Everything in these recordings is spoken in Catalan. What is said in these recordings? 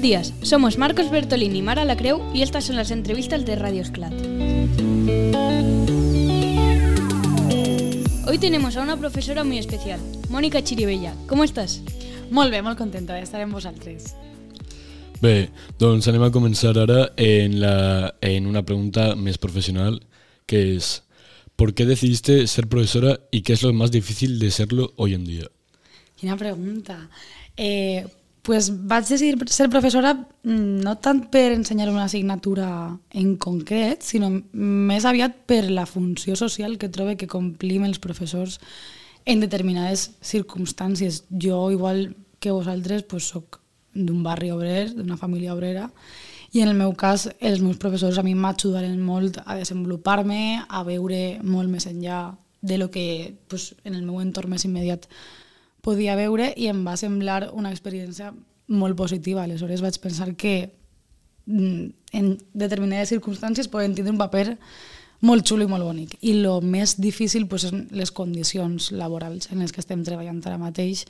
días, somos Marcos Bertolini y Mara Lacreu y estas son las entrevistas de Radio Esclat. Hoy tenemos a una profesora muy especial, Mónica Chiribella. ¿Cómo estás? Molt bé, molt contenta d'estar amb vosaltres. Bé, doncs anem a començar ara en una pregunta més professional, que és ¿por qué decidiste ser profesora y qué es lo más difícil de serlo hoy en día? Quina pregunta. Pues vaig decidir ser professora no tant per ensenyar una assignatura en concret, sinó més aviat per la funció social que trobo que complim els professors en determinades circumstàncies. Jo, igual que vosaltres, pues, soc d'un barri obrer, d'una família obrera, i en el meu cas els meus professors a mi m'ajudaren molt a desenvolupar-me, a veure molt més enllà de lo que pues, en el meu entorn més immediat podia veure, i em va semblar una experiència molt positiva. Aleshores vaig pensar que en determinades circumstàncies poden tindre un paper molt xulo i molt bonic. I el més difícil pues, són les condicions laborals en les que estem treballant ara mateix,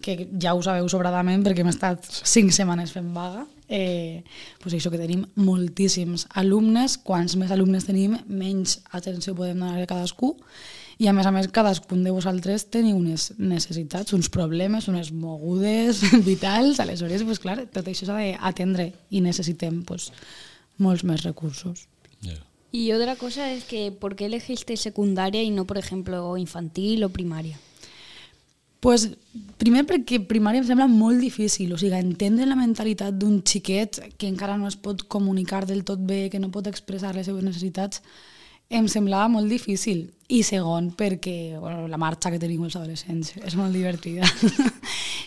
que ja ho sabeu sobradament perquè hem estat 5 setmanes fent vaga. Pues això, que tenim moltíssims alumnes. Quants més alumnes tenim, menys atenció podem donar a cadascú. I a més, cadascun de vosaltres teniu unes necessitats, uns problemes, unes mogudes vitals. Aleshores, pues, clar, tot això s'ha d'atendre i necessitem pues, molts més recursos. Yeah. Y otra cosa es que ¿por qué elegiste secundaria y no, por ejemplo, infantil o primaria? Pues, primer perquè primària em sembla molt difícil, o sigui, entendre la mentalitat d'un xiquet que encara no es pot comunicar del tot bé, que no pot expressar les seves necessitats, em semblava molt difícil. I segon, perquè la marxa que tenim els adolescents és molt divertida.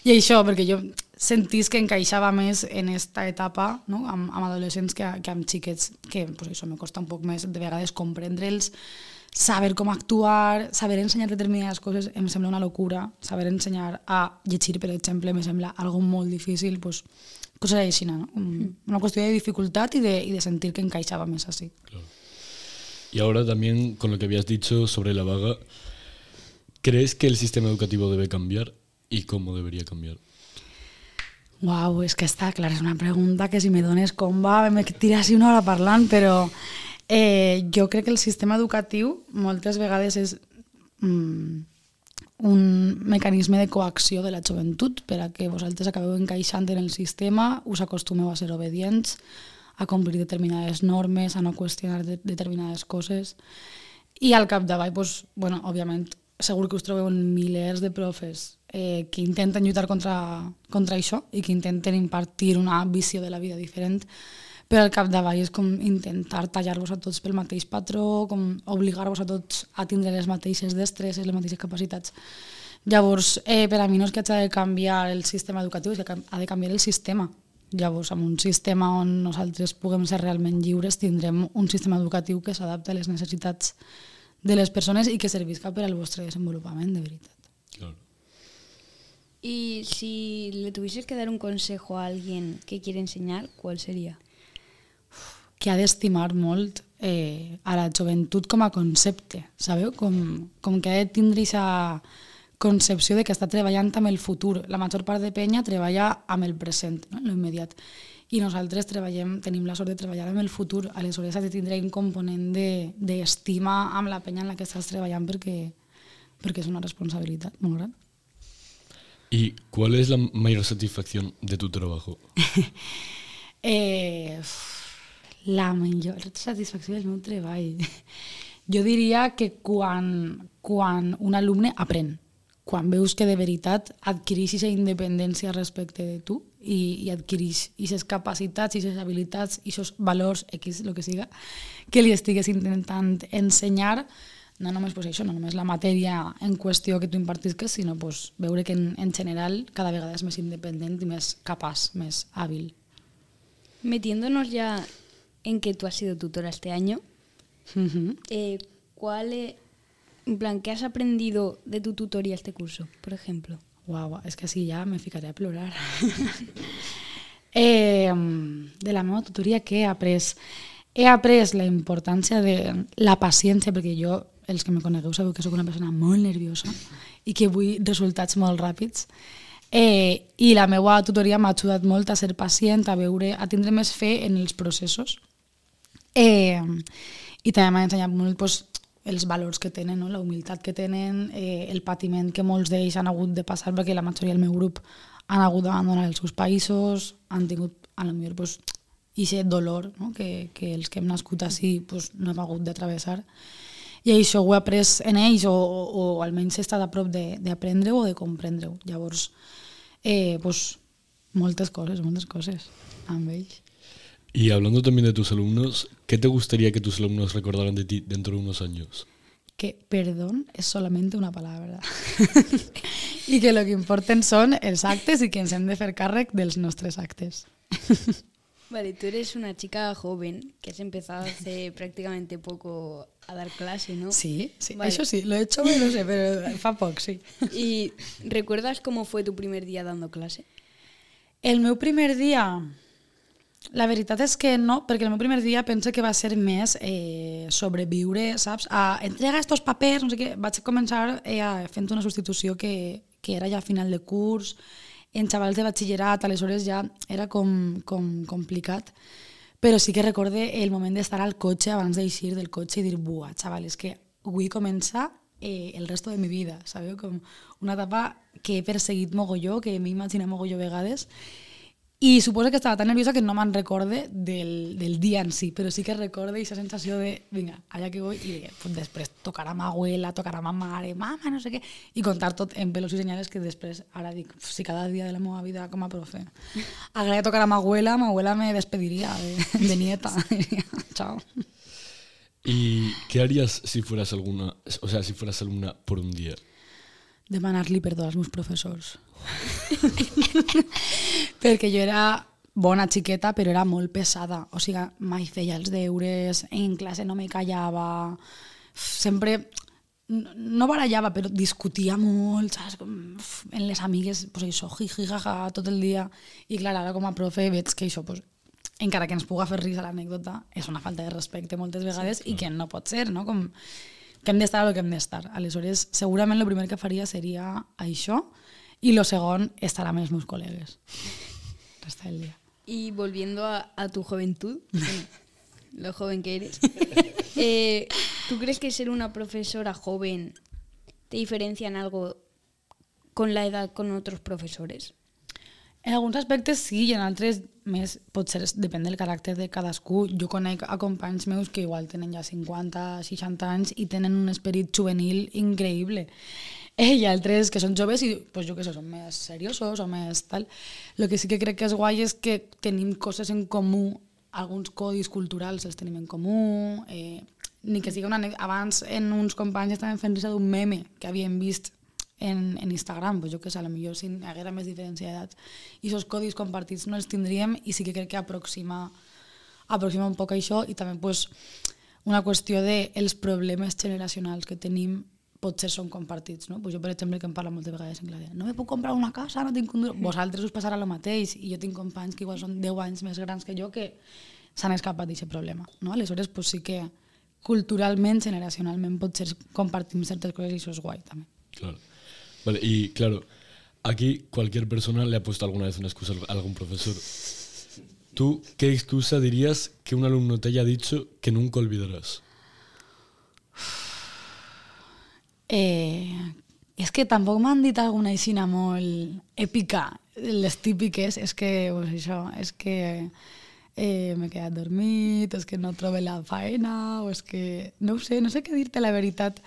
I això, perquè jo sentís que encaixava més en aquesta etapa, no? amb adolescents que amb xiquets, que pues, això me costa un poc més de vegades comprendre'ls, saber com actuar, saber ensenyar determinades coses em sembla una locura. Saber ensenyar a llegir, per exemple, me sembla algo molt difícil, pues, coses així, ¿no? Una qüestió de dificultat i de sentir que encaixava més així. Claro. Y ahora también, con lo que habías dicho sobre la vaga, ¿crees que el sistema educativo debe cambiar y cómo debería cambiar? Uau, és que està clar, és una pregunta que si me dones com va, me tirassi una hora parlant, però jo crec que el sistema educatiu moltes vegades és un mecanisme de coacció de la joventut per a que vosaltres acabeu encaixant en el sistema, us acostumeu a ser obedients, a complir determinades normes, a no qüestionar determinades coses. I al capdavall, pues, bueno, òbviament, segur que us trobeu milers de profes que intenten lluitar contra això i que intenten impartir una visió de la vida diferent, però al capdavall és com intentar tallar-vos a tots pel mateix patró, com obligar-vos a tots a tindre les mateixes destreses, les mateixes capacitats. Llavors, per a mi no és que hagi de canviar el sistema educatiu, és que ha de canviar el sistema. Llavors, amb un sistema on nosaltres puguem ser realment lliures, tindrem un sistema educatiu que s'adapta a les necessitats de les persones i que servisca per al vostre desenvolupament, de veritat. Claro. Y si le tuvieses que dar un consejo a alguien que quiere enseñar, ¿cuál sería? Que ha d'estimar molt a la joventut com a concepte, sabeu? Com que ha de tindre aquesta concepció de que està treballant amb el futur. La major part de penya treballa amb el present, no? En l'immediat. I nosaltres tenim la sort de treballar amb el futur. Aleshores has de tindre un component d'estima amb la penya en la que estàs treballant perquè és una responsabilitat molt gran. ¿Y cuál es la mayor satisfacción de tu trabajo? La millor satisfacció del meu treball. Jo diria que quan un alumne aprèn, quan veus que de veritat adquireix aquesta independència respecte de tu i adquireix aquestes capacitats, aquestes habilitats, aquests valors, X, el que siga, que li estigues intentant ensenyar, no només pues, això, no només la matèria en qüestió que tu impartisques, sinó pues, veure que en general cada vegada és més independent i més capaç, més hàbil. Metiéndonos ya en que tú has sido tutora este año, ¿qué has aprendido de tu tutoría este curso, por ejemplo? Guau, és que sí, ja me ficaré a plorar. De la meva tutoria, què he après? He après la importància de la paciència, perquè jo, els que me conegueu, sabeu que sóc una persona molt nerviosa i que vull resultats molt ràpids. I la meva tutoria m'ha ajudat molt a ser pacient, a tindre més fe en els processos. I també m'ha ensenyat molt doncs, els valors que tenen, no? La humilitat que tenen, el patiment que molts d'ells han hagut de passar, perquè la majoria del meu grup han hagut d'abandonar els seus països, han tingut, a lo millor, doncs, aquest dolor, no? que els que hem nascut així doncs, no hem hagut de travessar. I això ho he après en ells, o almenys he estat a prop d'aprendre-ho o de comprendre-ho. Llavors, doncs, moltes coses amb ells. Y hablando también de tus alumnos, ¿qué te gustaría que tus alumnos recordaran de ti dentro de unos años? Que perdón es solamente una palabra. I que lo que importen són els actes i que ens hem de fer càrrec dels nostres actes. Vale, tú eres una chica joven que has empezado hace prácticamente poco a dar clase, ¿no? Sí, Vale. Això sí, lo he hecho, no sé, pero fa poc, sí. ¿Y recuerdas cómo fue tu primer día dando clase? El meu primer dia, la veritat és que no, perquè el meu primer dia penso que va ser més sobreviure, saps? Entrega estos papers, no sé què. Vaig començar fent una substitució que era ja a final de curs, en xavals de batxillerat, aleshores ja era com complicat. Però sí que recorde el moment d'estar al cotxe abans d'eixir del cotxe i dir, buah, xaval, és que vull començar el resto de mi vida, sabeu? Com una etapa que he perseguit mogolló, que m'he imaginat mogolló vegades. I suposo que estava tan nerviosa que no me'n recorde del dia en si, però sí que recorde aquesta sensació de, vinga, allà que vull, i pues, després tocar a ma abuela, tocar a ma mare, mama, no sé què, i contar tot en pelos i senyales que després, ara dic, si cada dia de la meva vida com a profe agradaria tocar a ma abuela me despediria de nieta. Chao. ¿Y qué harías si fueras alumna por un día? Demanar-li perdó als meus professors. Perquè jo era bona xiqueta, però era molt pesada. O sigui, mai feia els deures, en classe no me callava, sempre no barallava, però discutia molt, saps? En les amigues, pues això, jiji, jaja, tot el dia. I clar, ara com a profe veig que això, pues, encara que ens puga fer risa l'anècdota, és una falta de respecte moltes vegades i que no pot ser, no? Com que hem d'estar a lo que hem d'estar. Aleshores, segurament el primer que faria seria això i el segon, estar amb els meus col·legues. Resta del dia. Y volviendo a tu juventud, lo joven que eres, ¿tú crees que ser una profesora joven te diferencia en algo con la edad con otros profesores? En alguns aspectes sí, i en altres més, potser depèn del caràcter de cadascú. Jo conec a companys meus que igual tenen ja 50, 60 anys i tenen un esperit juvenil increïble. I altres que són joves i, pues, jo què sé, són més seriosos o més tal. El que sí que crec que és guai és que tenim coses en comú, alguns codis culturals els tenim en comú, ni que sigui una anècdota. Abans en uns companys estaven fent risa d'un meme que havien vist en Instagram, pues jo que sé, potser si hi haguera més diferència d'edat i aquests codis compartits no els tindríem i sí que crec que aproxima un poc això i també pues, una qüestió dels problemes generacionals que tenim potser són compartits, no? Pues jo, per exemple, que em parla moltes vegades en classe, no me puc comprar una casa, no tinc un duro. Vosaltres us passarà el mateix i jo tinc companys que igual són 10 anys més grans que jo que s'han escapat d'aquest problema, no? Aleshores, pues sí que culturalment, generacionalment, potser compartim certes coses i això és guai, també. Claro. Vale, y claro, aquí cualquier persona le ha puesto alguna vez una excusa a algún profesor. ¿Tú qué excusa dirías que un alumno te haya dicho que nunca olvidarás? És que tampoc m'han dit alguna aixina molt èpica. Les típiques és que, pues això, és que m'he quedat dormit, és que no trobo la feina, o és que no ho sé, no sé què dir-te la veritat.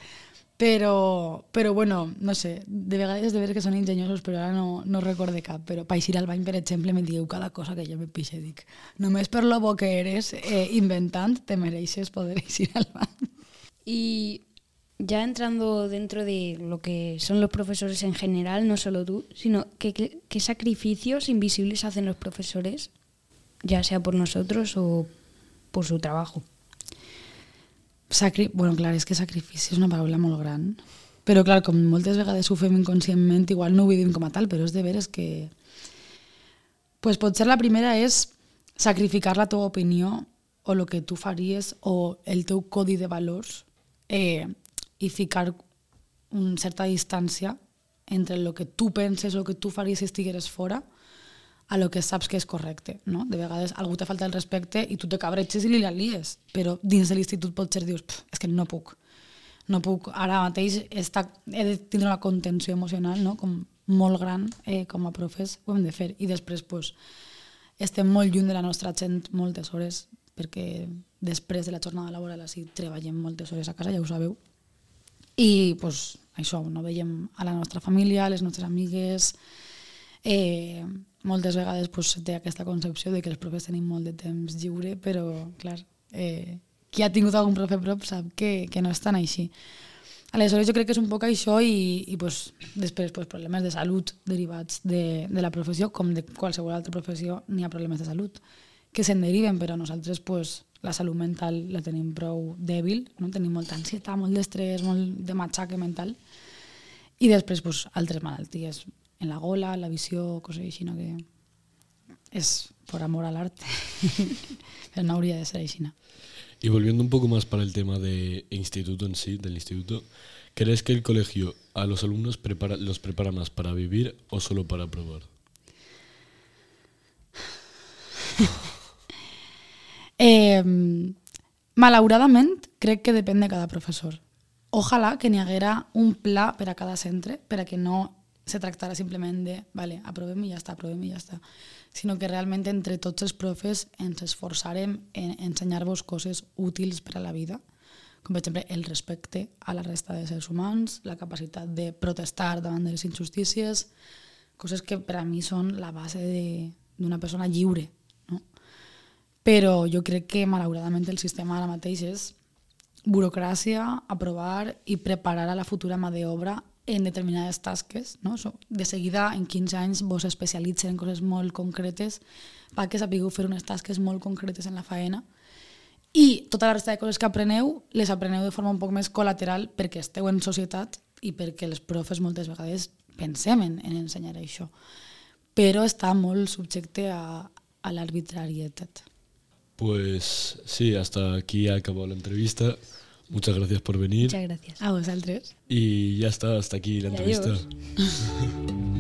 Però bueno, no sé, de vegades de veure que són enginyosos, però ara no recorde cap. Però per eixir al bany, per exemple, me dieu cada cosa que jo me pixe. Dic, només per lo bo que eres inventant, te mereixes poder eixir al bany. Y ya entrando dentro de lo que son los profesores en general, no solo tú, sino qué sacrificios invisibles hacen los profesores, ya sea por nosotros o por su trabajo. Bueno, clar, és que sacrifici és una paraula molt gran. Però, clar, com moltes vegades ho fem inconscientment, igual no ho vivim com a tal, però és de veres que... Pues potser la primera és sacrificar la teva opinió o el que tu faries o el teu codi de valors i ficar una certa distància entre el que tu penses o el que tu faries si estigueres fora a lo que saps que és correcte, no? De vegades algú te falta el respecte i tu te cabretxes i li la lies, però dins de l'institut potser dius, és que no puc, ara mateix he de tindre una contenció emocional, no? Com molt gran, com a profes ho hem de fer, i després pues, estem molt lluny de la nostra gent moltes hores, perquè després de la jornada laboral així treballem moltes hores a casa, ja ho sabeu, i pues, això, no veiem a la nostra família, a les nostres amigues. Moltes vegades pues, té aquesta concepció de que els profes tenim molt de temps lliure, però clar, qui ha tingut algun profe prop sap que no és tan així. Aleshores jo crec que és un poc això i pues, després pues, problemes de salut derivats de la professió, com de qualsevol altra professió n'hi ha problemes de salut que se'n deriven, però nosaltres pues, la salut mental la tenim prou dèbil, no? Tenim molta ansietat, molt d'estrès, molt de matxaque mental, i després pues, altres malalties en la gola, la visió, coses així, no? Que és por amor al arte, però no hauria de ser així. Y volviendo un poco más para el tema del instituto en sí, del instituto, ¿crees que el colegio a los alumnos los prepara más para vivir o solo para probar? Malauradament, crec que depèn de cada professor. Ojalà que n'hi haguera un pla per a cada centre, per a que no se tractara simplement de vale, aprovem i ja està, sinó que realment entre tots els profes ens esforçarem en ensenyar-vos coses útils per a la vida, com per exemple el respecte a la resta de éssers humans, la capacitat de protestar davant de les injustícies, coses que per a mi són la base d'una persona lliure. No? Però jo crec que malauradament el sistema ara mateix és burocràcia, aprovar i preparar a la futura mà d'obra en determinades tasques. No? De seguida, en 15 anys, vos especialitzen en coses molt concretes perquè sapigueu fer unes tasques molt concretes en la faena i tota la resta de coses que apreneu les apreneu de forma un poc més col·lateral perquè esteu en societat i perquè els profes moltes vegades pensem en ensenyar això. Però està molt subjecte a l'arbitrarietat. Pues sí, hasta aquí ha acabado la entrevista. Muchas gracias por venir. Muchas gracias. A vosaltres. Y ya está, hasta aquí la entrevista. Adiós.